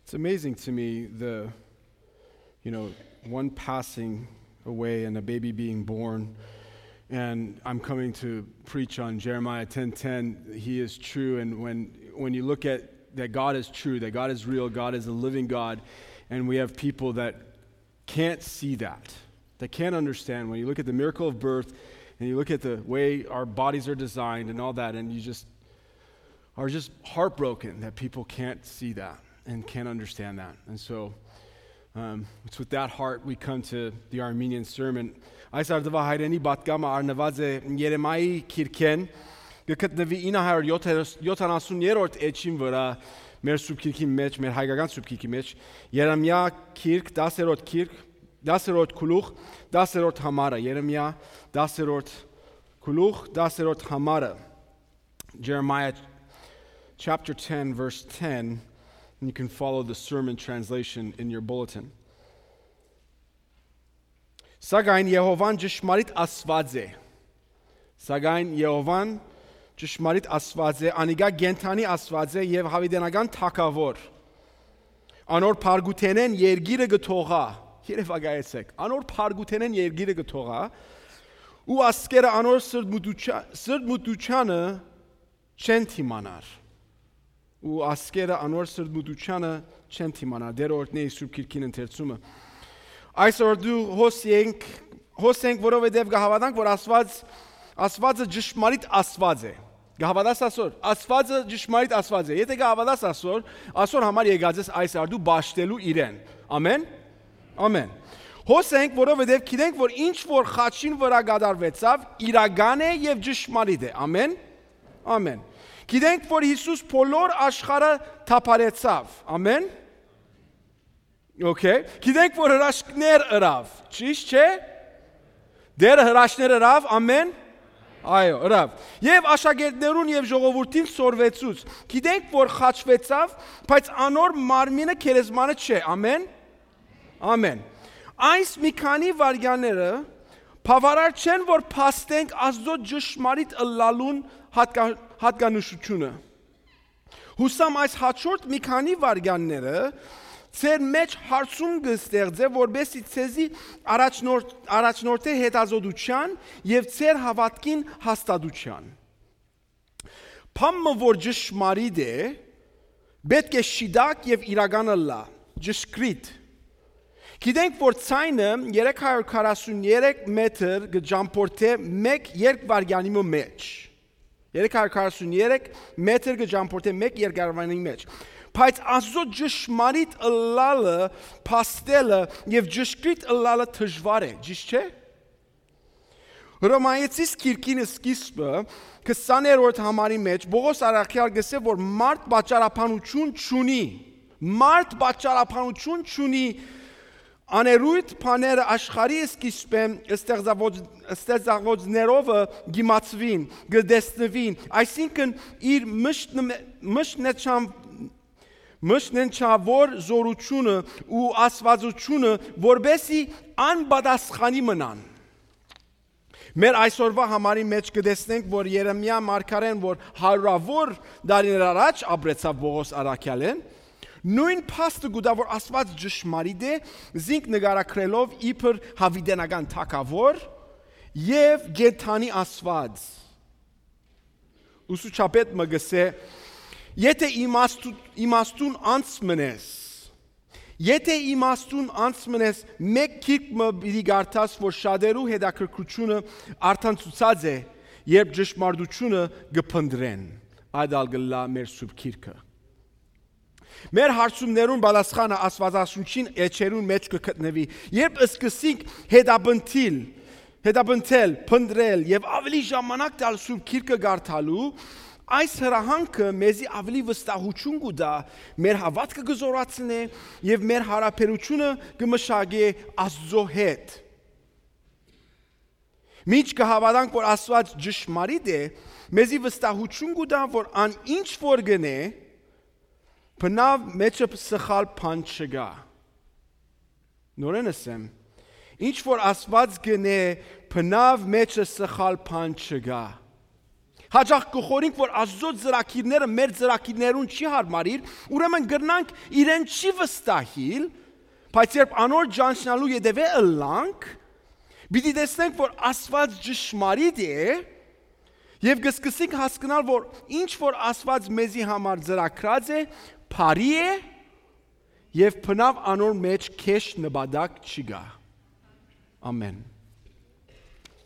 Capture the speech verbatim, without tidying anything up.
It's amazing to me, the, you know, one passing away and a baby being born. And I'm coming to preach on Jeremiah ten ten. He is true. And when, when you look at that, God is true, that God is real, God is a living God. And we have people that can't see that, that can't understand. When you look at the miracle of birth and you look at the way our bodies are designed and all that, and you just are just heartbroken that people can't see that and can't understand that. And so, um, it's with that heart we come to the Armenian sermon. Այս արդուահայրենի պատգամը առնուած է Երեմայի քիրքէն, կը գտնուի ինը հարիւր յոթանասուն երրորդ էջին վրայ, մեր սուրբ քիրքին մեջ, մեր հայկական սուրբ քիրքի մեջ, Երեմիա քիրք, դասերորդ քիրք, դասերորդ գլուխ, դասերորդ համարը, Երեմիա դասերորդ գլուխ, դասերորդ համարը, Jeremiah chapter ten, verse ten, and you can follow the sermon translation in your bulletin. Սակայն Եհովան ճշմարիտ Աստուած է։ Սակայն Եհովան ճշմարիտ Աստուած է, անիկա կենդանի Աստուած է եւ յաւիտենական թագաւոր։ Անոր փառքութենէն երկիրը կը թողայ։ Երեւակայեցէք, անոր փառքութենէն երկիրը կը թողայ, ու ազգերը անոր սրտմտութեան-, սրտմտութեանը չեն դիմանար, ու ազգերը անոր սրտմտութեանը չեն դիմանար։ Տէրը օրհնէ իր սուրբ քիրքին ընթերցումը։ Այսօր դու հոս ենք, հոս ենք, որովհետեւ կը հաւատանք, որ Աստուած, Աստուածը ճշմարիտ Աստուած է։ Կը հաւատաս ասոր։ Աստուածը ճշմարիտ Աստուած է։ Եթէ կը հաւատաս ասոր, ասոր համար եկած ես այս արդու պաշտելու իրեն։ Ամեն։ Ամեն։ Հոս ենք, որովհետեւ գիտենք, որ ինչ որ խաչին վրայ կատարուեցաւ, իրական է եւ ճշմարիտ է։ Ամեն։ Ամեն։ Գիտենք, որ Յիսուս բոլոր աշխարհը թափարեցաւ։ Ամեն։ Okay։ Գիտենք, որ հրաշքներ ըրաւ, ճիշտ չէ՞։ Տէրը հրաշքներ ըրաւ, ամեն։ Այո, ըրաւ։ Եւ աշակերտներուն եւ ժողովուրդին սորվեցուց։ Գիտենք, որ խաչուեցաւ, բայց անոր մարմինը գերեզմանը չէ։ Ամեն։ Ամեն։ Այս մի քանի վայրկյանները բաւարար չեն, որ փաստենք Աստուծոյ ճշմարիտ ըլլալուն հատկա-, հատկանշութիւնը։ Յուսամ այս հաջորդ մի քանի վայրկյանները ձեր մեջ հարցում կը ստեղծէ, որպեսզի ձեզի առաջնորդ-, առաջնորդէ հետազոտութեան եւ ձեր հաւատքին հաստատութեան։ Բան մը, որ ճշմարիտ է, պէտք է շիտակ եւ իրական ըլլայ, ճշգրիտ։ Գիտենք, որ ձայնը երեք հարիւր քառասուն երեք մետր կը ճամբորդէ մէկ երկվայրկեանի մը մեջ։ Երեք հարիւր քառասուն երեք մետր կը ճամբորդէ մէկ երկվայրկեանի մեջ։ Բայց Աստուծոյ ճշմարիտ ըլլալը, փաստելը եւ ճշգրիտ ըլլալը դժուար է, ճիշտ չէ՞։ Հռոմայեցիս քիրքին սկիզբը, քսաներորդ համարի մեջ, Պողոս առաքեալ կ'ըսէ, որ մարդ պատճառաբանութիւն չունի։ Մարդ պատճառաբանութիւն չունի, աներոյթ բաները աշխարհի սկիզբէն ստեղծաւոց-, ստեղծաւոցներովը կ'իմացուին, կը տեսնուին, այսինքն իր մշտ-, մշտնեչան-, մշտնեչաւոր զօրութիւնը ու աստուածութիւնը, որպեսզի անպատասխանի մնան։ Մեր այսօրվա համարի մեջ կը տեսնենք, որ Երեմիա մարգարեն, որ հարիւրաւոր տարիներ առաջ ապրեցաւ Պողոս առաքեալէն, նոյն փաստը կու տայ, որ Աստուած ճշմարիտ է, զինք նկարագրելով իբր յաւիտենական թագաւոր եւ կենդանի Աստուած։ Ուսուցչապետ մը կ'ըսէ. «Եթէ իմաստու-, իմաստուն անձ մնես, եթէ իմաստուն անձ մնես, մէկ գիրք մը պիտի կարդաս, որ շատերու հետաքրքրութիւնը արդանցուցած է, երբ ճշմարտութիւնը կը փնտռեն, այդ ալ կ'ըլլայ մեր սուրբ գիրքը»։ Մեր հարցումներուն պատասխանը Աստուածաշունչին էջերուն մեջ կը գտնուի, երբ սկսենք հետապնդիլ, հետապնդել, փնտռել եւ աւելի ժամանակ տալ սուրբ գիրքը կարդալու, այս հրահանգը մեզի աւելի վստահութիւն կու տայ, մեր հաւատքը կը զօրացնէ եւ մեր յարաբերութիւնը կը մշակէ Աստուծոյ հետ։ Մինչ կը հաւատանք, որ Աստուած ճշմարիտ է, մեզի վստահութիւն կու տայ, որ ան ինչ որ կ'ընէ, բնաւ մեջը սխալ բան չկայ։ Նորէն ըսեմ, ինչ որ Աստուած կ'ընէ, բնաւ մեջը սխալ բան չկայ։ Հաճախ կը խորհենք, որ Աստուծոյ ծրագիրները մեր ծրագիրներուն չի յարմարիր, ուրեմն կրնանք իրեն չի վստահիլ, բայց երբ անոր ճանչնալու ետեւէ ըլլանք, պիտի տեսնենք, որ Աստուած ճշմարիտ է, եւ կը սկսենք հասկնալ, որ ինչ որ Աստուած մեզի համար ծրագրած է, բարի է, եւ բնաւ անոր մէջ քեշ նպատակ չի գա։ Ամեն։